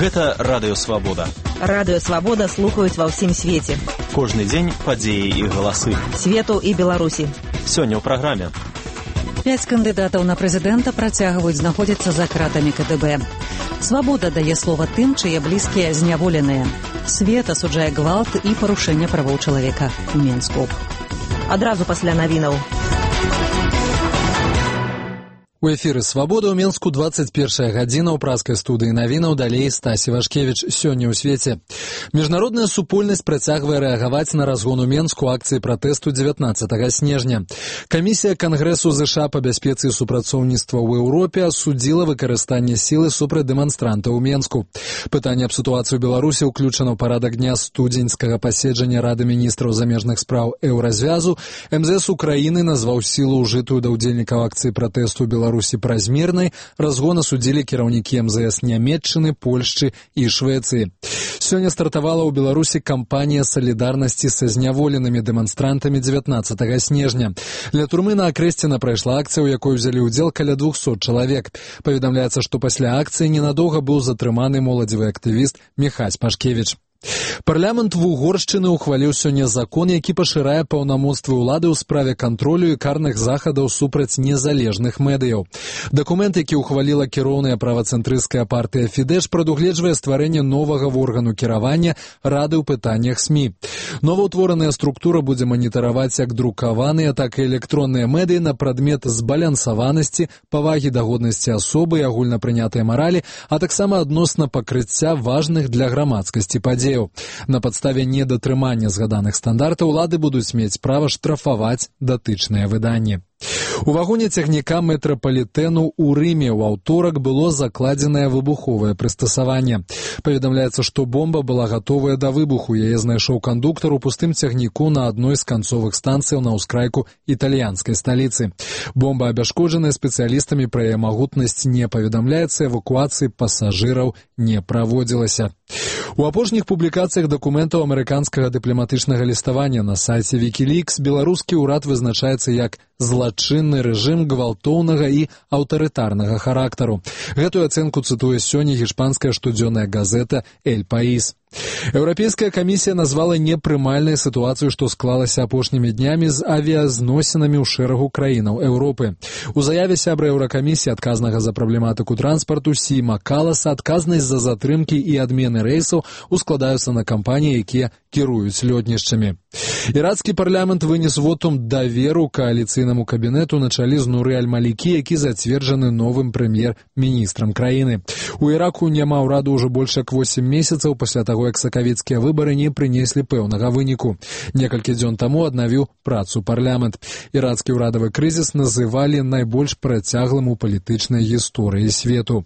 Гэта Радыё Свабода. Радыё Свабода слухаюць ва ўсім свеце. Кожны дзень падзеі і галасы. Свету і Беларусі. Сёння ў праграме. 5 кандыдатаў на прэзідэнта працягваюць знаходзіцца за кратамі КДБ. Свабода дае слова тым, чые блізкія зняволеныя. Свет асуджае гвалт і парушэнне правоў чалавека ў Мінску. Адразу пасля навінаў. У эфіры «Свабода» ў Мінску 21 гадзіна ў праскай студыі навінаў, далей Стасі Вашкевіч. Сёння ў свеце. Міжнародная супольнасць працягвае рэагаваць на разгон у Мінску акцыі пратэсту 19 снежня. Камісія Кангрэсу ЗША па бяспецы і супрацоўніцтва ў Еўропе асудзіла выкарыстанне сілы супраць дэманстрантаў у Мінску. Пытанне аб сітуацыі ў Беларусі ўключана ў парадак дня студзеньскага паседжання Рады міністраў замежных спраў Еўразвязу. МЗС Украіны назваў сілу ўжытую да ўдзельнікаў акцыі пратэсту Беларусі празмернай. Разгон асудзілі кіраўнікі МЗС Нямецчыны, Польшчы і Швецыі. Сёння стартавала ў Беларусі кампанія салідарнасці са зняволенымі дэманстрантамі 19 снежня. Ля турмы на Акрэсціна прайшла акцыя, у якой узялі ўдзел каля 200 чалавек. Паведамляецца, што пасля акцыі ненадоўга быў затрыманы моладзевы актывіст Міхась Пашкевіч. Парламент Вугоршчыны ухваліў сёння закон, які пашырае паўнамоцтвы ўлады ў справе кантролю і карных захадаў супраць незалежных медыяў. Дакумент, які ухваліла кіроўная правацэнтрысцкая партыя Фідэш, прадугледжвае стварэнне новага органу кіравання Рады ў пытаннях СМІ. Новаўтвораная структура будзе маніtaраваць як друкаваныя, так і электронныя медыі на прадмет збалансаванасці, павагі да годнасці асобы і агульнапрынятыя маралі, а таксама адносна пакрыцця важных для грамадскасці падзей. На падставе недатрымання згаданых стандартаў улады будуць мець права штрафаваць датычныя выданні. У вагоне цягніка метрапалітэну ў Рыме ў аўторак было закладзенае выбуховае прыстасаванне. Паведамляецца, што бомба была гатовая да выбуху. Яе знайшоў кандуктар у пустым цягніку на адной з канцовых станцыяў на ўскрайку італьянскай сталіцы. Бомба абяшкоджаная спецыялістамі, пра яе магутнасць не паведамляецца, эвакуацыі пасажыраў не праводзілася. У апошніх публікацыях дакументаў амерыканскага дыпламатычнага ліставання на сайце Wikileaks беларускі ўрад вызначаецца як злачынны рэжым гвалтоўнага і аўтарытарнага характару. Гэтую ацэнку цытуе сёння гішпанская штодзённая газета «Эль Паís». Еўрапейская камісія назвала непрымальнай сітуацыю, што склалася апошнімі днямі з авіязносінамі ў шэрагу краінаў Еўропы. У заяве сябра Еўракамісіі, адказнага за праблематыку транспарту Сіма Каласа, адказнасць за затрымкі і адмены рэйсаў ускладаюцца на кампаніі, якія кіруюць лётнішчамі. Ірацкі парламент вынес вотум даверу кааліцыйнаму кабінету на чале з Нуры Аль-Малікі, які зацверджаны новым прэм'ер-міністрам краіны. У Іраку няма ўраду ўжо больш як 8 месяцаў пасля таго, як сакавіцкія выбары не прынеслі пэўнага выніку. Некалькі дзён таму аднавіў працу парламент. Ірацкі ўрадавы крызіс называлі найбольш працяглым у палітычнай гісторыі свету.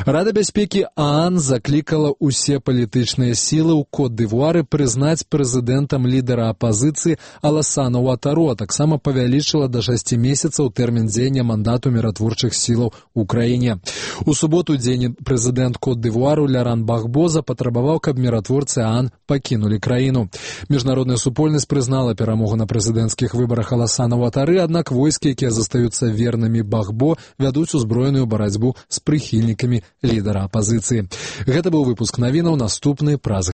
Рада бяспекі ААН заклікала ўсе палітычныя сілы ў Кот-д'Івуары прызнаць прэзідэнтам лідара апазіцыі Аласана Уатару, а таксама павялічыла да 6 месяцаў тэрмін дзеяння мандату міратворчых сілаў у краіне. У суботу дзень прэзідэнт Кот-д'Івуару Ляран Бахбо запатрабаваў, каб міратворцы ААН пакінулі краіну. Міжнародная супольнасць прызнала перамогу на прэзідэнцкіх выбарах Аласана Уатары, аднак войскі, якія застаюцца вернымі Бахбо, вядуць узброеную барацьбу з прыхільнікамі лідара апазіцыі. Гэта быў выпуск навінаў, наступны праз